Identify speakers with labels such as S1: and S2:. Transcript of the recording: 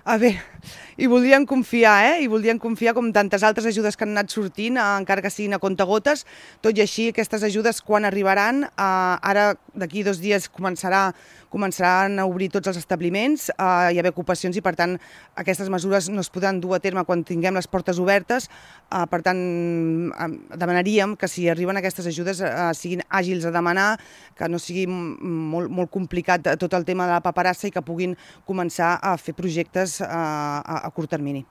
S1: A veure, i voldrien confiar, I voldrien confiar com tantes altres ajudes que han anat sortint, encara que siguin a comptagotes. Tot i així, aquestes ajudes quan arribaran? Ara, d'aquí 2 dies, començaran a obrir tots els establiments, hi ha haver ocupacions i, per tant, aquestes mesures no es podran dur a terme quan tinguem les portes obertes. Per tant, demanaríem que si arriben aquestes ajudes siguin àgils a demanar, que no sigui molt complicat tot el tema de la paperassa i que puguin començar a fer projectes a curt termini.